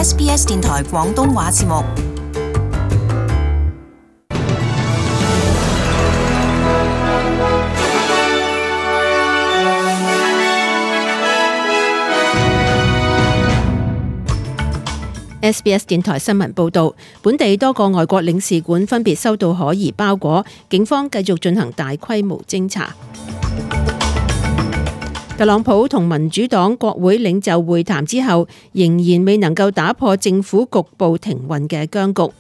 SBS 電台廣東話節目。SBS 電台新聞報導，本地多個外國領事館分別收到可疑包裹，警方繼續進行大規模偵查。特朗普同民主黨國會領袖會談之後，仍然未能夠打破政府局部停運嘅僵局。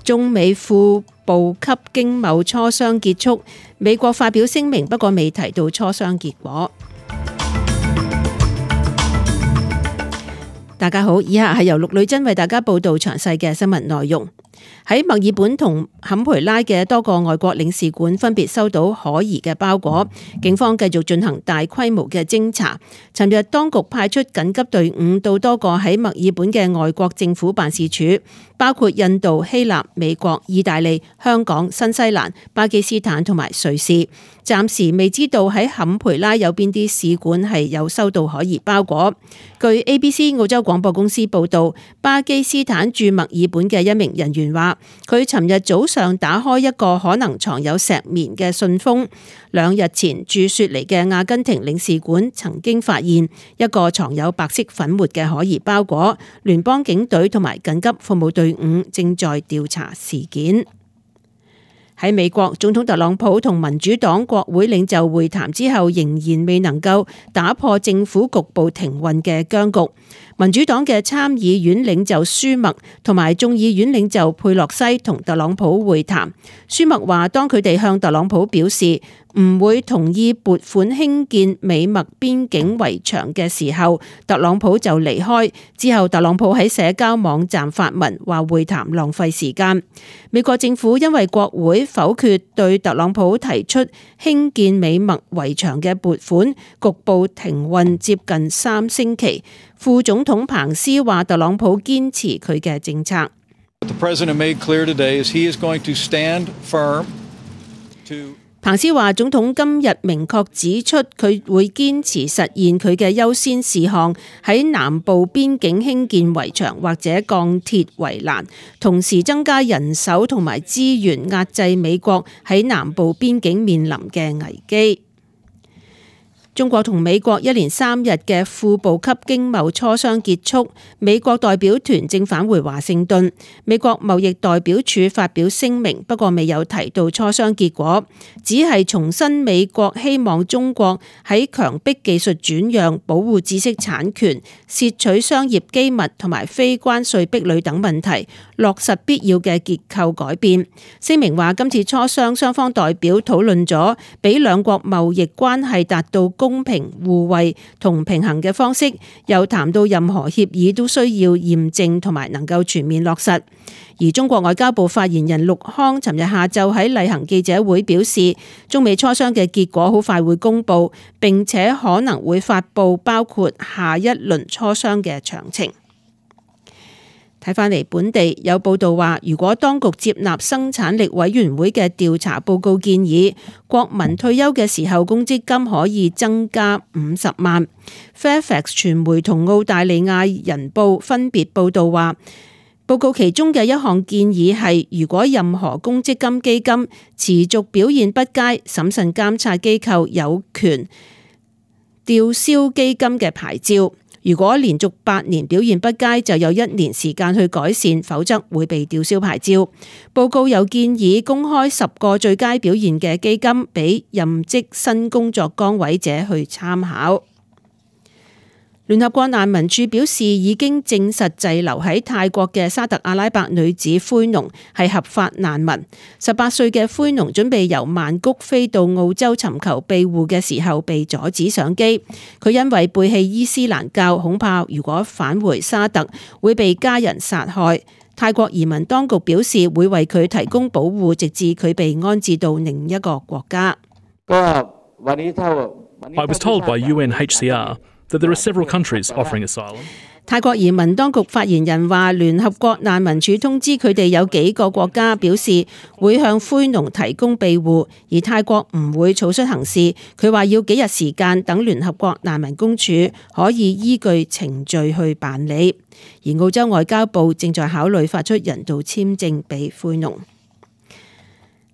中美副部級經貿磋商結束，美國發表聲明，不過未提到磋商結果。大家好，以下係由陸女真為大家報道詳細嘅新聞內容。喺墨爾本同坎培拉嘅多個外國領事館分別收到可疑嘅包裹，警方繼續進行大規模嘅偵查。尋日當局派出緊急隊伍到多個喺墨爾本嘅外國政府辦事處，包括印度、希臘、美國、意大利、香港、新西蘭、巴基斯坦同埋瑞士。暫時未知道喺坎培拉有邊啲使館係有收到可疑包裹。據 ABC 澳洲廣播公司報導，巴基斯坦駐墨爾本嘅一名人員話，佢尋日早上打開一個可能藏有石棉嘅信封。2日前駐雪梨嘅阿根廷領事館曾經發現一個藏有白色粉末嘅可疑包裹。聯邦警隊同埋緊急服務隊伍正在調查事件。喺美國，總統特朗普同民主黨國會領袖會談之後，仍然未能夠打破政府局部停運嘅僵局。民主黨嘅參議院領袖舒默同埋眾議院領袖佩洛西同特朗普會談。舒默話，當佢哋向特朗普表示唔會同意撥款興建美墨邊境圍牆嘅時候，特朗普就離開。之後特朗普喺社交網站發文話會談浪費時間。美國政府因為國會否決對特朗普提出興建美墨圍牆嘅撥款，局部停運接近3星期。副總統彭斯話特朗普堅持佢嘅政策。彭斯話總統今日明確指出，佢會堅持實現佢嘅優先事項，喺南部邊境興建圍牆或者鋼鐵圍欄，同時增加人手同埋資源，壓制美國喺南部邊境面臨嘅危機。中國同美國一連3日嘅副部級經貿磋商結束，美國代表團正返回華盛頓。美國貿易代表處發表聲明，不過未有提到磋商結果，只係重申美國希望中國喺強迫技術轉讓、保護知識產權、竊取商業機密同埋非關稅壁壘等問題落實必要嘅結構改變。聲明話，今次磋商雙方代表討論咗俾兩國貿易關係達到公平、互惠同平衡嘅方式，又談到任何協議都需要驗證同埋能夠全面落實。而中國外交部發言人陸康尋日下晝喺例行記者會表示，中美磋商嘅結果好快會公佈，並且可能會發佈包括下一輪磋商嘅詳情。睇返嚟本地有報道話，如果當局接納生產力委員會嘅調查報告建議，國民退休嘅時候公積金可以增加50萬。Fairfax 傳媒同澳大利亞人報分別報道話，報告其中嘅一項建議係，如果任何公積金基金持續表現不佳，審慎監察機構有權吊銷基金嘅牌照。如果連續8年表現不佳，就有1年時間去改善，否則會被吊銷牌照。報告又建議公開10個最佳表現嘅基金俾任職新工作崗位者去參考。聯合國難民署表示，已經證實滯留喺泰國嘅沙特阿拉伯女子灰農係合法難民。18歲嘅灰農準備由曼谷飛到澳洲尋求庇護嘅時候被阻止上機。佢因為背棄伊斯蘭教，恐怕如果返回沙特會被家人殺害。泰國移民當局表示會為佢提供保護，直至佢被安置到另一個國家。I was told by UNHCR that there are several countries offering asylum. 泰國移民當局發言人話，聯合國難民署通知佢哋有幾個國家表示會向灰農提供庇護，而泰國唔會草率行事。佢話要幾日時間等聯合國難民公署可以依據程序去辦理。而澳洲外交部正在考慮發出人道簽證俾灰農。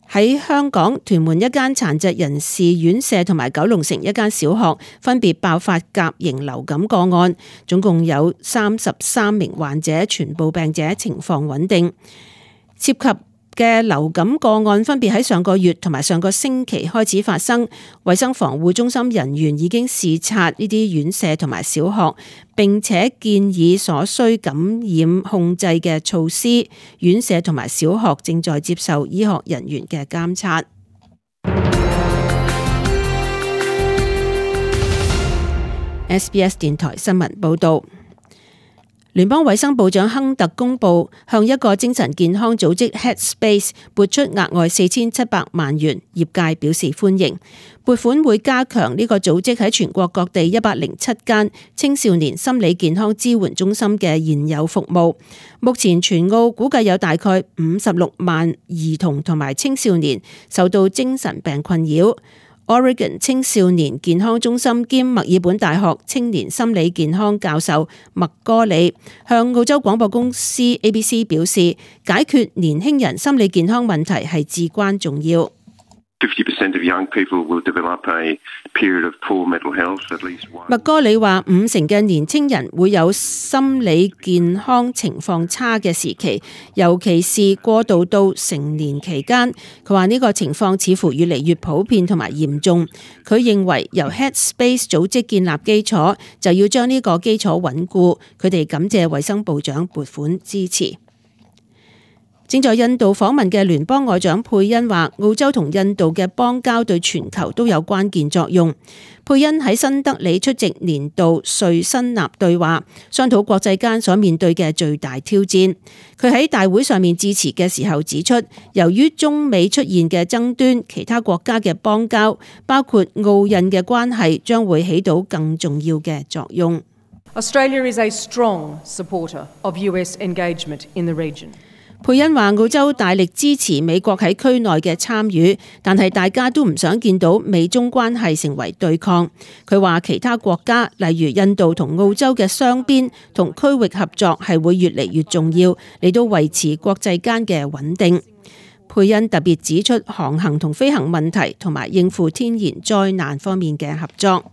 喺香港，屯門一間殘疾人士院舍同埋九龍城一間小學分別爆發甲型流感個案，總共有33名患者，全部病者情況穩定。涉及嘅流感個案分別喺上個月同埋上個星期開始發生，衛生防護中心人員已經視察呢啲院舍同埋小學，並且建議所需感染控制嘅措施。院舍同埋小學正在接受醫學人員嘅監察。SBS 電台新聞報道。聯邦衛生部長亨特公布向一個精神健康組織 Headspace 撥出額外4700萬元，業界表示歡迎。撥款會加強呢個組織喺全國各地107間青少年心理健康支援中心嘅現有服務。目前全澳估計有大概56萬兒童同埋青少年受到精神病困擾。Oregon 青少年健康中心兼墨爾本大學青年心理健康教授麥哥里向澳洲廣播公司 ABC 表示，解決年輕人心理健康問題係至關重要。50% of young people will develop a period of poor mental health, at least one. 麥哥里話，50%嘅年青人會有心理健康情況差嘅時期，尤其是過渡到成年期間。佢話呢個情況似乎越嚟越普遍同埋嚴重。佢認為由 Headspace 組織建立基礎，就要將呢個基礎穩固。佢哋感謝衛生部長撥款支持。正在印度訪問嘅聯邦外長佩恩話，澳洲同印度嘅邦交對全球都有關鍵作用。佩恩喺新德里出席年度瑞新納對話，商討國際間所面對嘅最大挑戰。佢喺大會上面致辭嘅時候指出，由於中美出現嘅爭端，其他國家嘅邦交，包括澳印嘅關係，將會起到更重要嘅作用。Australia is a strong supporter of US engagement in the region. 佩恩話，澳洲大力支持美國喺區內嘅參與，但係大家都唔想見到美中關係成為對抗。佢話其他國家，例如印度同澳洲嘅雙邊同區域合作係會越嚟越重要，嚟到維持國際間嘅穩定。佩恩特別指出航行同飛行問題同埋應付天然災難方面嘅合作。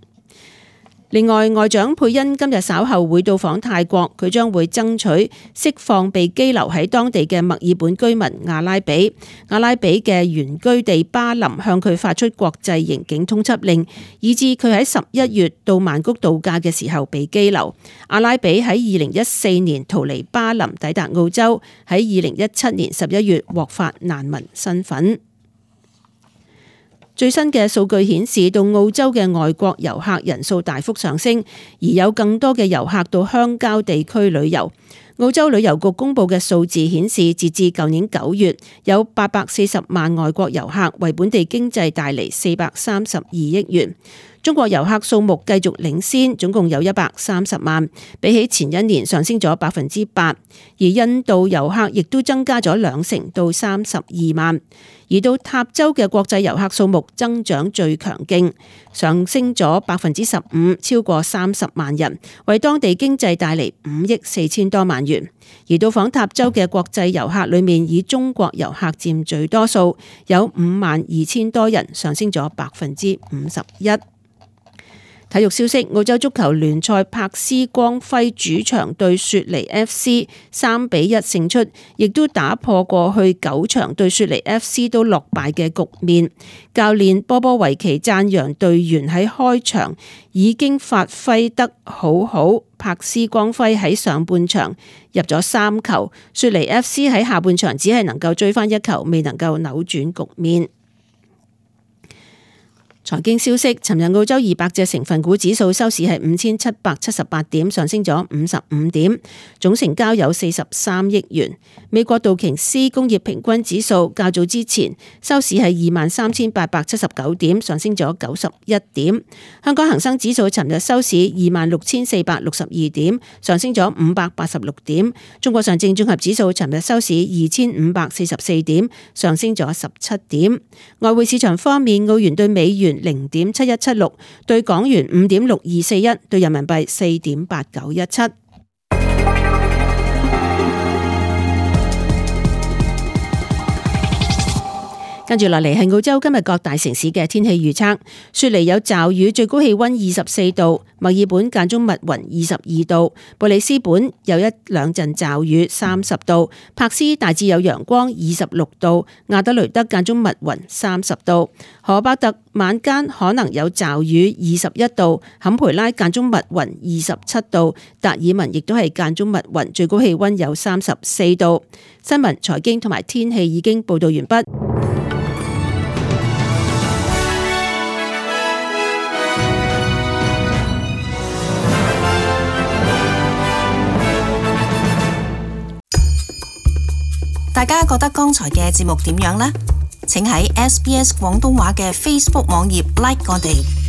另外，外長佩恩今日稍後會到訪泰國，佢將會爭取釋放被羈留喺當地嘅墨爾本居民阿拉比。阿拉比嘅原居地巴林向佢發出國際刑警通緝令，以致佢喺11月到曼谷度假嘅時候被羈留。阿拉比喺2014年逃離巴林抵達澳洲，喺2017年11月獲發難民身份。最新嘅數據顯示，到澳洲嘅外國遊客人數大幅上升，而有更多嘅遊客到鄉郊地區旅遊。澳洲旅遊局公布嘅數字顯示，截至舊年9月，有840萬外國遊客為本地經濟帶嚟432億元。中國遊客數目繼續領先，總共有130萬，比起前一年上升咗8%。而印度遊客亦都增加咗2成到32萬。而到塔州嘅國際遊客數目增長最強勁，上升咗15%，超過30萬人，為當地經濟帶嚟5億4千多萬元。而到訪塔州嘅國際遊客裏面，以中國遊客佔最多數，有52000多人，上升咗51%。體育消息，澳洲足球聯賽柏斯光輝主場對雪梨 FC 3-1勝出，亦都打破過去9場對雪梨 FC 都落敗嘅局面。教練波波維奇讚揚隊員喺開場已經發揮得好好。柏斯光輝喺上半場入咗3球，雪梨 FC 喺下半場只係能夠追翻1球，未能夠扭轉局面。財經消息，尋日澳洲200隻成分股指數收市係5778點，上升咗55點，總成交有43億元。美國道瓊斯工業平均指數較早之前收市係23,879點，上升咗91點。香港恒生指數尋日收市26,462點，上升咗586點。中國上證綜合指數尋日收市2,544點，上升咗17點。外匯市場方面，澳元對美元0.7176，對港元5.6241，對人民幣4.8917。跟住落嚟係澳洲今日各大城市嘅天氣預測。雪梨有驟雨，最高氣溫24度；墨爾本間中密雲22度；布里斯本有一兩陣驟雨30度；柏斯大致有陽光26度；亞德雷德間中密雲30度；荷巴特晚間可能有驟雨21度；坎培拉間中密雲27度；達爾文亦都係間中密雲，最高氣溫有34度。新聞、財經同埋天氣已經報道完畢。大家覺得剛才嘅節目點樣呢？請喺SBS 廣東話嘅 Facebook 網頁 like 我哋。